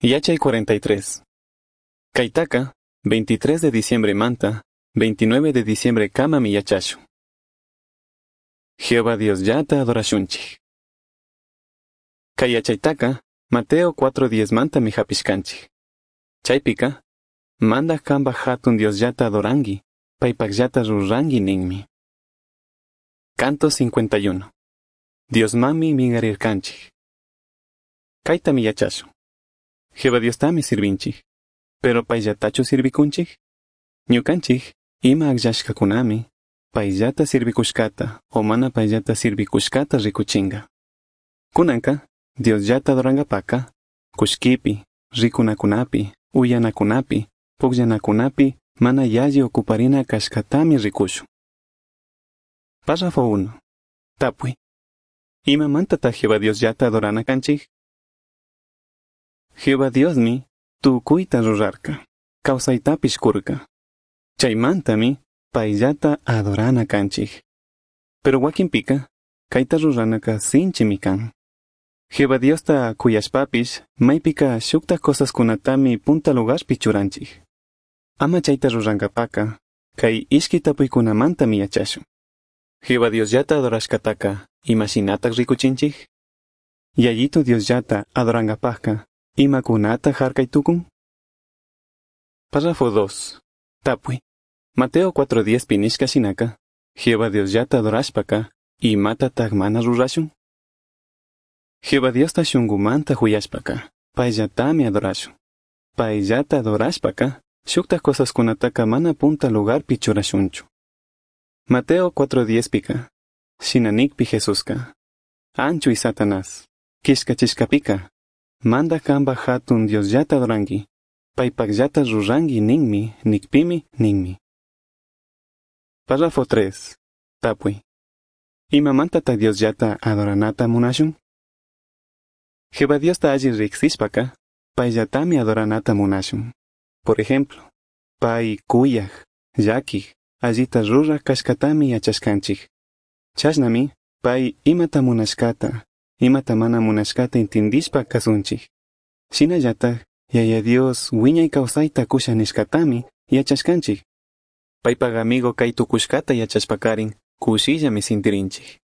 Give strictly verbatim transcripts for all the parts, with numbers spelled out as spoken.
Yachay cuarenta y tres. Kaitaka, veintitrés de diciembre manta, veintinueve de diciembre kamami yachashun. Jehová Dios llata adorashunchik. Kay yachaytaka, Mateo cuatro diez manta mi hapishkanchik. Chaypika, manda kanpa hatun Dios llata adorangi, paypak llata rurangi ninmi. Canto cincuenta y uno. Dios mami mingarirkanchik. Kaytami yachashun. Jehová Dios tami sirvinchik, pero payllatachu sirvikunchik? Ñukanchik, ima akllashkakunami, payllata sirvikushkata o mana payllata sirvikushkata rikuchinga. Kunanka, Dios llata adorangapaka, kushkipi, rikunakunapi, uyanakunapi, pukllanakunapi, mana yalli ocuparina kashkatami rikushun. Párrafo uno. Tapui. Imamantata Jehová Dios llata adorana kanchik? Jehová Diosmi tukuyta rurarka, kawsaytapish kurka. Chaymantami payllata adorana kanchik. Pero wakinpika, kayta ruranaka sinchimi kan. Jehová Diosta kuyashpapish, maypika shukta cosaskunatami punta lugarpi churanchik. Ama chayta rurankapaka, kay ishki tapuykunamantami yachashun. Jehová Dios llata adorashkataka, imashinatak rikuchinchik? Yayito Dios llata adorankapaka, imakunata harkay tukun? Párrafo dos. Tapui. Mateo cuatro diez pinishka shinaka, Jehová Dios llata adorashpaka, imatataq mana rurashun? Jehová Diosta shunkumanta huyashpaka, payllatami adorashun. Payllata adorashpaka, shuktaq cosaskunataka mana punta lugarpi churashunchu. Mateo cuatro diez pika, shinanikpi Jesuska, anchuy Satanás, kishkachishkapika, manda kanpa hatun Dios llata adorangi, paypak llata rurangi ninmi, nikpimi, ninmi. Párrafo tres. Tapui. Imamantata Dios llata adoranata munashun? Jehová Diosta alli riksishpaka, payllatami adoranata munashun. Por ejemplo, pay kuyaj, llakij, allita ruraj kashkatami yachashkanchik. Chashnami, pay imata munashkata, imata mana munashkata intindishpa kasunchik. Shinallataj, Yaya Dios wiñay kawsayta kusha nishkatami yachashkanchik. Paypak amigo kay tukushkata yachashpakarin, kushillami sintirinchik.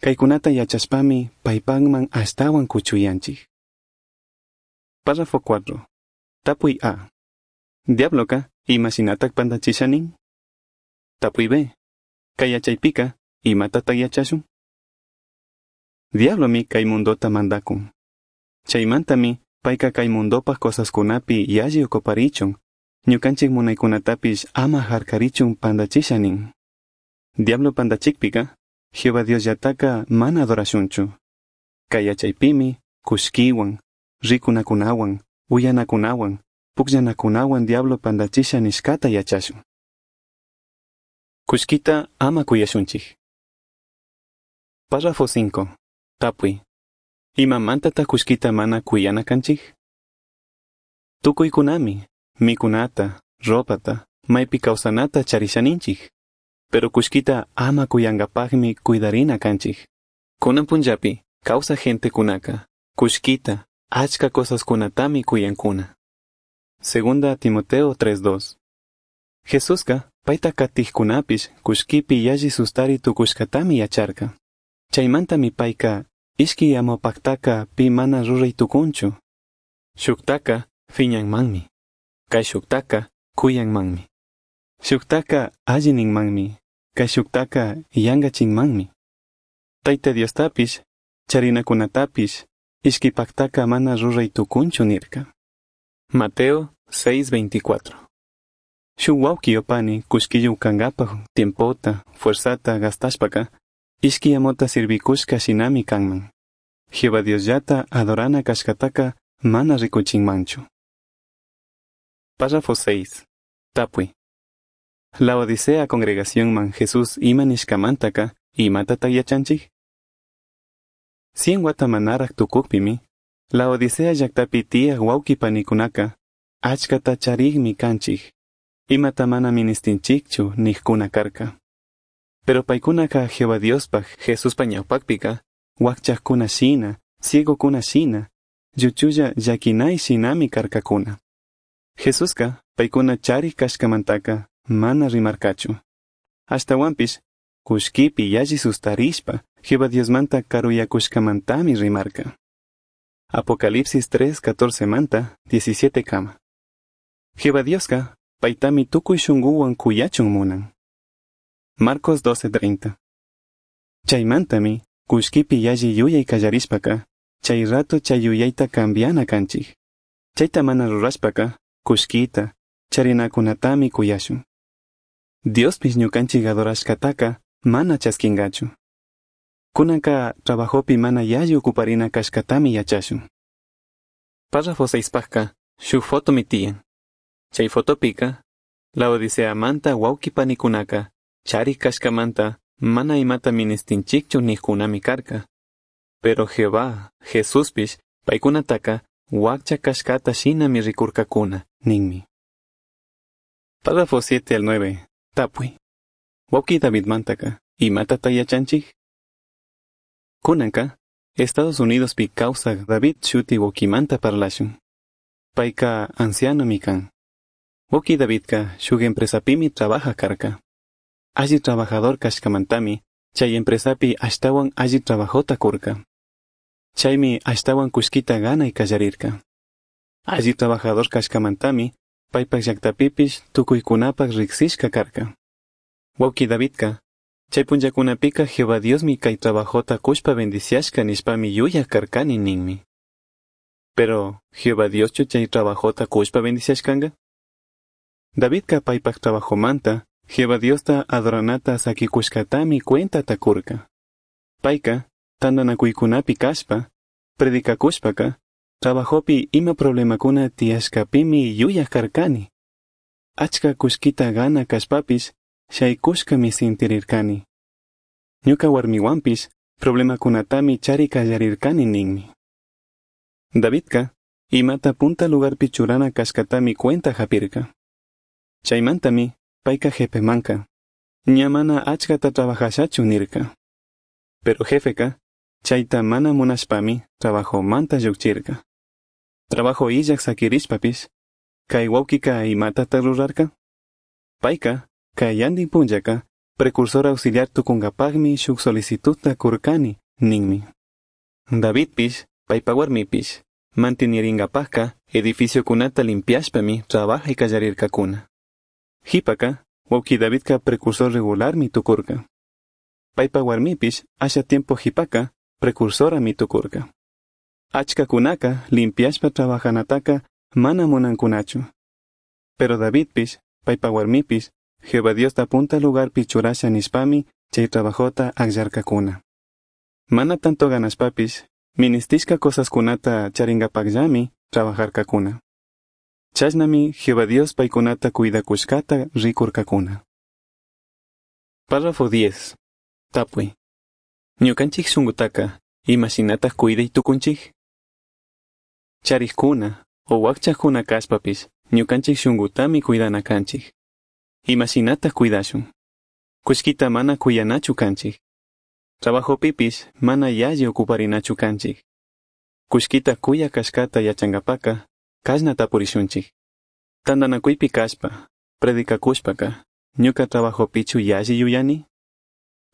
Kaykunata yachashpami paypakman ashtawan kuchuyanchik. Párrafo cuatro. Tapuy A. Diabloka, imashinatak pantachisha nin? Tapuy B. Kay yachaypika, imatataq yachashun? Diablomi kay mundota mandakun. Chaymantami payka kay mundopaj cosaskunapi yalli ocuparichun, ñukanchik munaykunatapish ama harkarichun pantachisha nin. Diablo pantachikpika, Jehová Dios llataka mana adorashunchu. Kay yachaypimi, kushkiwan, rikunakunawan, uyanakunawan, pukllanakunawan diablo pantachisha nishkata yachashun. Kushkita ama kuyashunchik. Párrafo cinco. Tapui. Imamantata kushkita mana kuyana kanchik? Tukuykunami, mikunata, ropata, maypi kawsanata charishaninchik. Pero kushkita ama kuyankapaqmi cuidarina kanchik. Kunan punllapi, kawsaj gentekunaka, kushkita, achka cosaskunatami kuyankuna. Segunda Timoteo tres dos. Jesuska, payta katijkunapish, kushkipi yalli sustari tukushkatami yacharka. Chaymantami payka, ishki amopaktaka pi mana ruray tukunchu. Shuktaka fiñanmanmi. Kay shuktaka kuyanmanmi. Shuktaka alli ninmanmi. Kay shuktaka yankachinmanmi. Tayta Diostapish, charinakunatapish, ishkipaktaka mana ruray tukunchu nirka. Mateo seis veinticuatro. Shuk wawqi o pani kushkiyuq kankapaj tiempota, fuerzata gastashpaka, ishki amota sirvikushka shinami kanman. Jehová Dios llata adorana kashkataka mana rikuchinmanchu. Párrafo seis. Tapui. Laodicea congregacionman Jesús ima nishkamantaka imatataq yachanchik? Cien wata manaraq tukukpimi, Laodicea llaqtapi tiyaq wawqi panikunaka achkata charikmi kanchik, imata mana ministinchikchu niqkuna karka. Pero paykunaka Jehová Diospaj Jesuspa ñawpaqpika, wakchaqkuna shina, ciegokuna shina, lluchulla llaquinai shinami carcacuna. Jesusca paicuna charij cashcamantaca mana rimarcachu. Ashtahuanpish cullquipi yalli sustarishpa Jehová Diosmanta caruyacushcamantami rimarca. Apocalipsis tres catorce manta diecisiete kama. Jehová Diosca paitami tukuy shunguwan kuyachun munan. Marcos doce treinta. Chaymantami kullkipi yalli yuyay kallarishpaka chay rato chay yuyayta cambiana kanchik. Chayta mana rurashpaka kullkita charinakunatami kuyashun. Diospish ñukanchik adorashkataka mana chaskingachu. Kunanka trabajopi mana yalli ocuparina kashkatami yachashun. Párrafo seispajka shuk fotomi tiyan. Chay fotopika Laodiceamanta wawqi panikunaka charij kashkamanta mana imata ministinchikchu nijkunami karka. Pero Jehová, Jesuspish paykunataka wakcha kashkata shinami rikurkakuna ninmi. Párrafo siete al nueve. Tapuy. Wawqi Davidmantaka imatata yachanchik? Kunanka Estados Unidospi kawsaj David shuti wawqimanta parlashun. Payka ancianomi kan. Wawqi Davidka shuk empresapimi trabaja karka. Alli trabajador kashkamantami chay empresapi ashtawan alli trabajota kurka. Chaymi ashtawan kullkita ganay kallarirka. Alli trabajador kashkamantami paypak llaktapipish tukuykunapak riksishka karka. Wawqi Davidka chay punllakunapika Jehová Diosmi kay trabajota kushpa bendiciashka nishpami yuyaj karkani ninmi. Pero Jehová Dioschu chay trabajota kushpa bendiciashkanga? Davidka paypak trabajomanta Jehová Diosta adoranata sakikushkatami cuentata kurka. Payka tantanakuykunapi kashpa, predicakushpaka, trabajopi ima problemakuna tiyashkapimi yuyaj karkani. Achka kullkita gana kashpapish shaykushkami sintirirkani. Ñuka warmiwanpish problemakunatami chari kallarirkani ninmi. Davidka imata punta lugarpi churana kashkatami cuenta japirka. Chaymantami payka jefemanka ña mana achkata trabajashachu nirka. Pero jefeka chayta mana munashpami trabajomanta llukchirka. Trabajo illaj sakirishpapish kay wawkika imatata rurarka? Payka kayandin punllaka precursor auxiliar tukunkapakmi shuk solicitudta kurkani ninmi. Davidpish paypa warmipish manteniringapakka edificiokunata limpiashpami trabajay kallarirkakuna. Jipaka wawqi Davidka precursor regularmi tukurka. Paypa warmipish asha tiempo jipaka precursorami tukurka. Achkakunaka limpiashpa trabajanataka mana munankunachu. Pero Davidpish paypa warmipish Jehová Diosta punta lugarpi churasha nishpami chay trabajota akllarkakuna. Mana tanto ganashpapish ministishka cosaskunata charingapakllami trabajarkakuna. Chashnami Jehová Dios paykunata cuidakushkata rikurkakuna. Párrafo diez. Tapuy. Ñukanchik shunkutaka imashinataj cuiday tukunchik? Charijkuna o wakchakuna kashpapish ñukanchik shunkutami cuidana kanchik. Imashinataj cuidashun? Kullkita mana kuyanachu kanchik. Trabajopipish mana yalli ocuparinachu kanchik. Kullkita kuya kashkata yachankapaka kashna tapurishunchik. Tantanakuypi kashpa, predicakushpaka, ñuka trabajopichu yalli yuyani?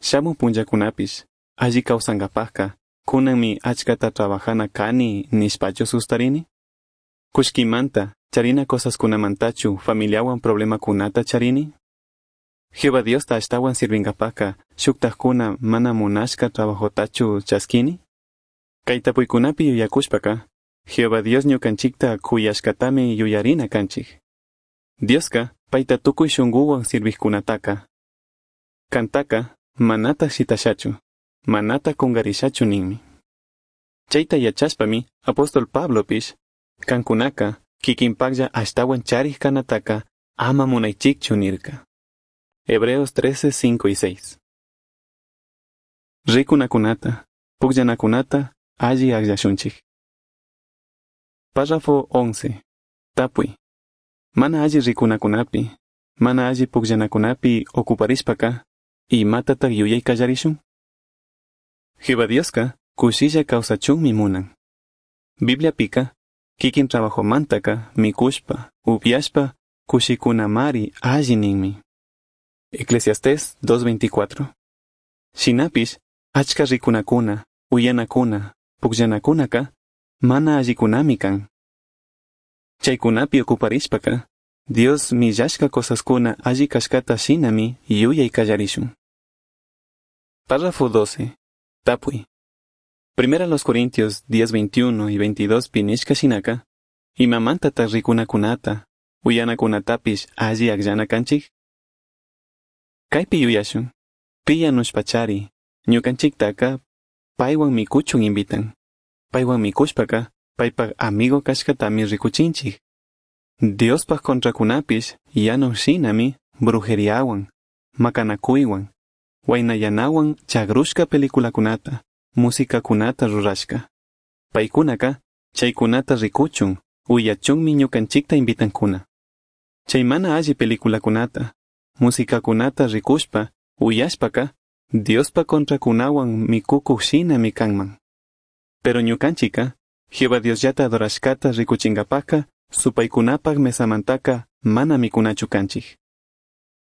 Shamuj punllakunapish alli kawsankapakka kunanmi achkata trabajana kani nishpachu sustarini? Kullkimanta charina cosaskunamantachu familiawan problemakunata charini? Jehová Diosta ashtawan sirvinkapakka shuktajkuna mana munashka trabajotachu chaskini? Kay tapuykunapi yuyakushpaka Jehová Dios ñukanchikta kuyashkatami yuyarina kanchik. Dioska payta tukuy shunkuwan sirvijkunataka. Kantaka manata shitashachu, manata kungarishachu ninmi. Chayta yachashpami apóstol Pablopish kankunaka kikinpaklla ashtawan charij kanataka ama munaychikchu nirka. Hebreos trece, cinco y seis. Rikunakunata, pukllanakunata alli akllashunchik. Párrafo once. Tapuy. Mana alli rikunakunapi, mana alli pukllanakunapi ocuparishpaka, imatataq yuyay kallarishun? Jehová Dioska kushilla kawsachunmi munan. Bibliapica, kikin trabajomantaka mikushpa, upiashpa, kushikunamari alli ninmi. Eclesiastés dos veinticuatro. Shinapish, achka rikunakuna, uyanakuna, pukllanakunaka, mana allikunami kan. Chaykunapi okuparishpaka, Dios millashka cosaskuna alli kashkata shinami yuyay kallarishun. Párrafo doce. Tapuy. Primera los Corintios diez, veintiuno y veintidós pinishka shinaka, imamantataq rikunakunata, uyanakunatapish alli akllana kanchik? Kaypi yuyashun, pi yanushpachari, ñukanchiktaka paywan mikuchun invitan. Paywan mikushpaka, paypak amigo kashkatami rikuchinchik. Diospaj contrakunapish yanush shinami brujeriawan, makanakuywan, waynayanawan chagrushka peliculakunata, musikakunata rurashka. Paykunaka chaykunata rikuchun, uyachunmi ñukanchikta invitankuna. Chay mana alli peliculakunata, musikakunata rikushpa, uyashpaka, Diospa contrakunawan mikukuq shinami kanman. Pero ñukanchika, Jehová Diosllata adorashkata rikuchinkapaka, supaykunapaq mesamantaka mana mikunachu kanchik.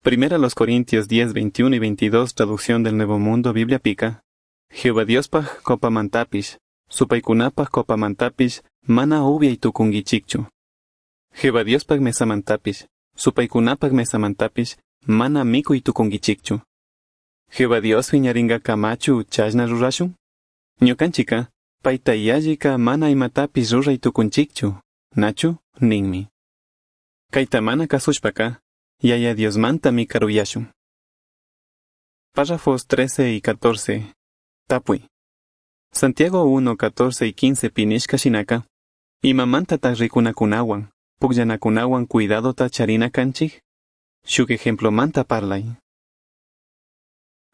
Primera los Corintios diez, veintiuno y veintidós, traducción del Nuevo Mundo, Biblia pica, Jehová Diospaj copamantapish, supaykunapaj copamantapish, mana ubiay tukunkichikchu. Jehová Diospaj mesamantapish, supaykunapaj mesamantapish, mana mikuy tukunkichikchu. Jehová Dios wiñarinkakamachu chashna rurashun? Ñukanchika, payta yallika mana imatapish ruray tukunchikchu, nachu ninmi. Kayta mana kasushpaka, Yaya Diosmantami karuyashun. Párrafos trece y catorce. Tapuy. Santiago uno, catorce y quince pinishka shinaka, imamantataq rikunakunawan, pukllanakunawan cuidadota charina kanchik? Shuk ejemplomanta parlay.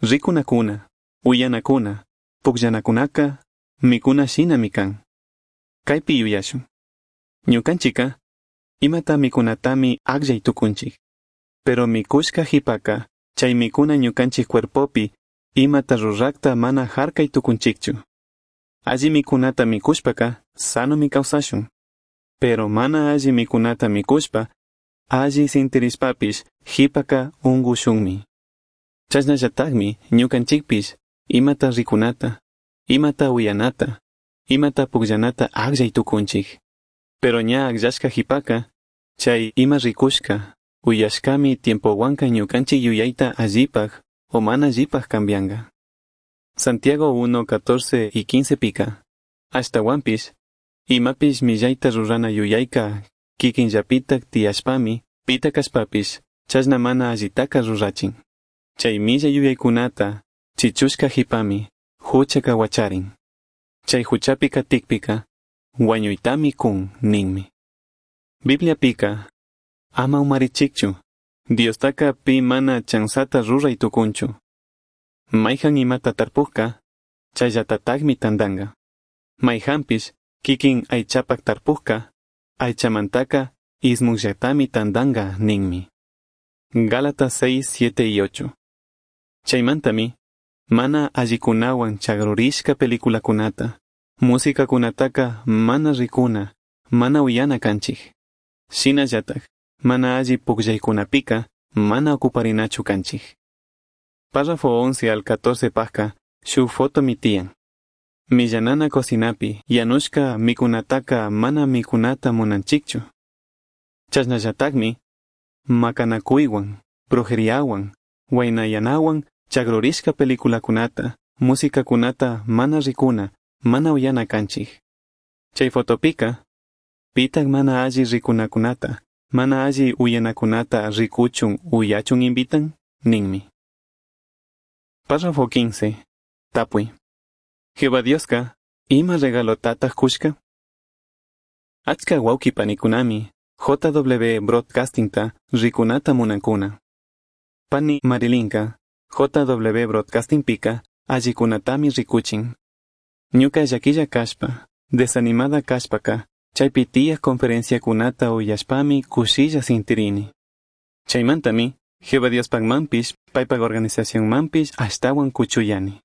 Rikunakuna, uyanakuna, pukllanakunaka, mikuna shinami kan. Kaypi yuyashun. Ñukanchika, imata mikunatami akllay tukunchik. Pero mikushka hipaka, chay mikuna ñukanchik cuerpopi, imata rurakta mana harkay tukunchikchu. Alli mikunata mikushpaka, sanomi kawsashun. Pero mana alli mikunata mikushpa, alli sintirishpapish, hipaka ungushunmi. Chashnallataqmi ñukanchikpish, imata rikunata, imata uyanata, imata pukllanata akllay tukunchik. Pero ña akllashka hipaka, chay ima rikushka, uyashkami tiempowanka ñukanchik yuyayta allipaj o mana allipaj cambianga. Santiago uno, catorce y quince pica. Ashtawanpish, imapish millayta rurana yuyayka kikinllapitak tiyashpami, pita kashpapish, chashna mana allitaka rurachin. Chay millay yuyaykunata, chichushka hipami, huchaka wacharin. Chay huchapi katikpika, wañuytami kun ninmi. Biblia pika, ama umarichikchu, Diostaka pi mana chansata ruray tukunchu. Mayhan imata tarpujka, chayllatataqmi tantanga. Mayhanpish, kikin aychapak tarpujka, aychamantaka ismuqllatami tantanga ninmi. Gálatas seis, siete y ocho. Chaymantami, mana allikunawan chagrurishka peliculakunata, musikakunataka mana rikuna, mana uyana kanchik. Shinallatak, mana alli pukllaykunapika, mana ocuparinachu kanchik. Párrafo once al catorce pajka, shuk foto mitiyan. Millanana cocinapi, yanushka mikunataka mana mikunata munanchikchu. Chashnallataqmi, makanakuywan, brujeriawan, waynayanawan, chagrurishka peliculakunata, musikakunata mana rikuna, mana uyana kanchik. Chay fotopika, pitaq mana alli rikunakunata, mana alli uyanakunata rikuchun uyachun invitan, ninmi. Párrafo quince. Tapuy. Jehová Dioska, ima regalotataq kushka? Achka wawqi panikunami, J W Broadcastingta rikunata munankuna. Pani Marilinka, J W Broadcasting pika, allikunatami rikuchin. Ñuka llaquilla kashpa, desanimada kashpaka, chaypi tiyaq conferenciakunata uyashpami kushilla sintirini. Chaymantami, Jehová Diospaqmanpish, paypaq organizacionmanpish ashtawan kuchuyani.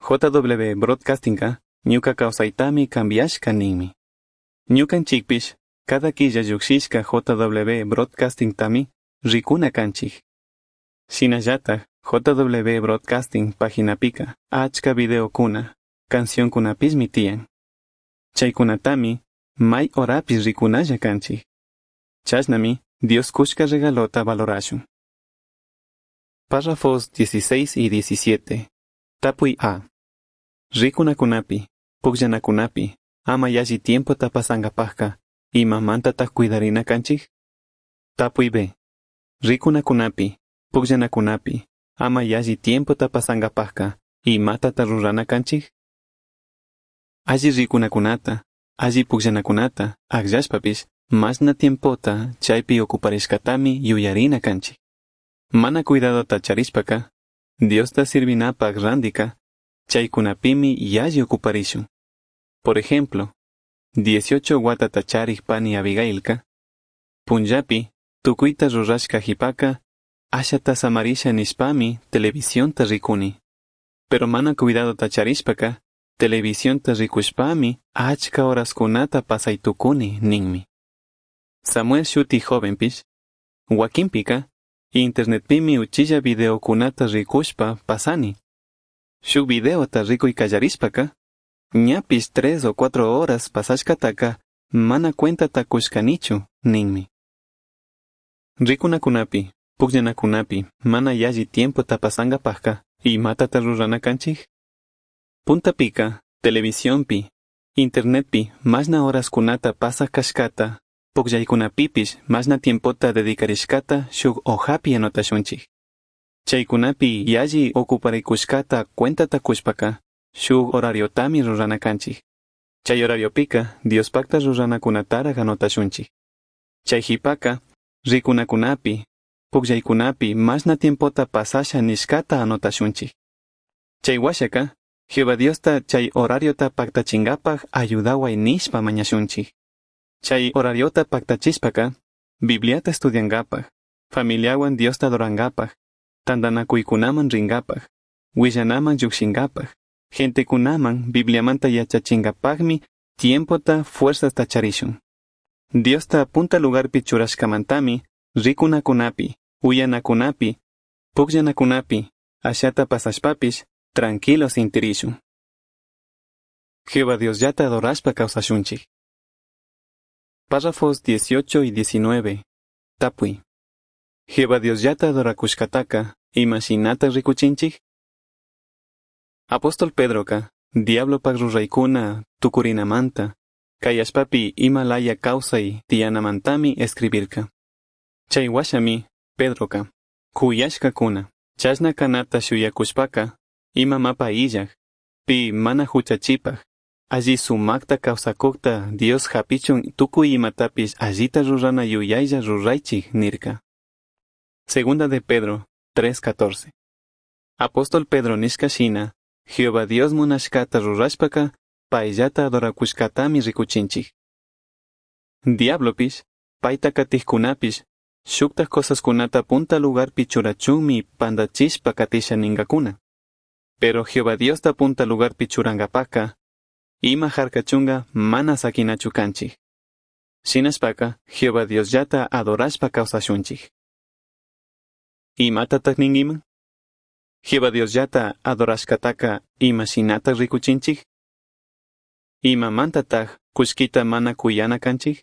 J W Broadcastingka, ñuka kawsaytami cambiashka ninmi. Ñucanchijpish cada quilla llujshishca J W Broadcastingtami ricuna canchij. Shinallataj J W Broadcasting paginapika achca videocuna, cancioncunapishmi tiyan. Chaicunatami mai horapish ricunalla canchij. Chashnami Dios cushca regalota valorashun. Párrafos dieciséis y diecisiete. Tapui A. Ricunacunapi, pugllanacunapi, ama yalli tiempota pasangapajka, imamantataj cuidarina canchij? Tapui B. Ricunacunapi, pugllanacunapi, ama yalli tiempota pasangapajka, imatata rurana canchij? Alli ricunacunata, alli pugllanacunata, agllashpapish, mashna tiempota chaipi ocuparishcatami yuyarina canchij. Mana cuidadota charishpaca, Diosta sirvinapaj randika, chaicunapimi yalli ocuparishun. Por ejemplo, dieciocho huatata charij pani Abigailka, punllapi tucuita rurashca jipaca, ashata samarisha nishpami televisionta ricuni. Pero mana cuidadota charishpaca, televisionta ricushpami achca horascunata pasai tucuni ninmi. Samuel shuti jovenpish, huaquinpica, internetpimi uchilla videocunata ricushpa pasani. Shuk videota ricui callarishpaca, ñapish tres o cuatro horas pasashcataca mana cuentata cushcanichu ninmi. Ricunacunapi, pugllanacunapi, mana yalli tiempota pasangapajka, imatata rurana canchij? Puntapica, televisionpi, internetpi, mashna horascunata pasaj cashcata, pugllaicunapipish mashna tiempota dedicarishcata shuk hojapi anotashunchij. Chaicunapi yalli ocuparicushcata cuentata cushpaca, shuk horariotami rurana canchij. Chay horariopika Diospakta ruranakunataraj anotashunchij. Chay jipaka, ricunacunapi, pugllaycunapi mashna tiempota pasasha nishcata anotashunchij. Chay huashaka, Jehová Diosta chay horariota pactachingapaj ayudaway nishpa mañashunchij. Chay horariota pactachishpaka, Bibliata estudiangapaj, familiawan Diosta adorangapaj, tandanakuykunaman ringapaj, willanaman llujshingapaj, gentekunaman Bibliamanta yachachingapajmi tiempota fuerzasta charishun. Diosta punta lugarpi churashkamantami, rikunakunapi, uyanakunapi, pugllanakunapi, ashata pasashpapish, tranquilo sintirishun. Jehová Diosllata adorashpa kawsashunchik. Párrafos dieciocho y diecinueve. Tapui. Jehová Diosllata adorakushkataka, imashinata rikuchinchik? Apóstol Pedroka, diablopak ruraykuna tukurinamanta, kay allpapi ima laya kawsay tiyanamantami escribirka. Chay washami, Pedroka, kuyashkakuna, chashna kanata shuyakushpaka, ima mapa illaj, pi mana huchachipaj, alli sumakta kawsakukta Dios hapichun tukuy imatapish allita rurana yuyaylla ruraychik nirka. Segunda de Pedro tres catorce. Apóstol Pedro nishka shina, Jehová Dios munashkata rurashpaka, payllata adorakushkatami rikuchinchik. Diablopish, payta katijkunapish, shuktaj cosaskunata punta lugarpi churachunmi pandachishpa katisha ningakuna. Pero Jehová Diosta punta lugarpi churangapaka, ima jarkachunga mana sakinachu kanchik. Shinashpaka, Jehová Diosllata adorashpa kawsashunchik. Imatataj ninkiman? Jehová Diosllata adorashkataka imashinataj rikuchinchik? Imamantataj kullkita mana kuyana kanchik?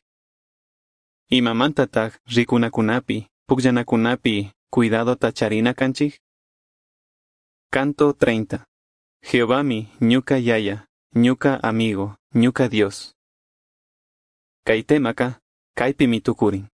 Imamantataj rikunakunapi, pugllanakunapi cuidadota charina kanchik? Canto treinta. Jehovami ñuca yaya, ñuca amigo, ñuca Dios. Kay temaka, kaypimi tukurin.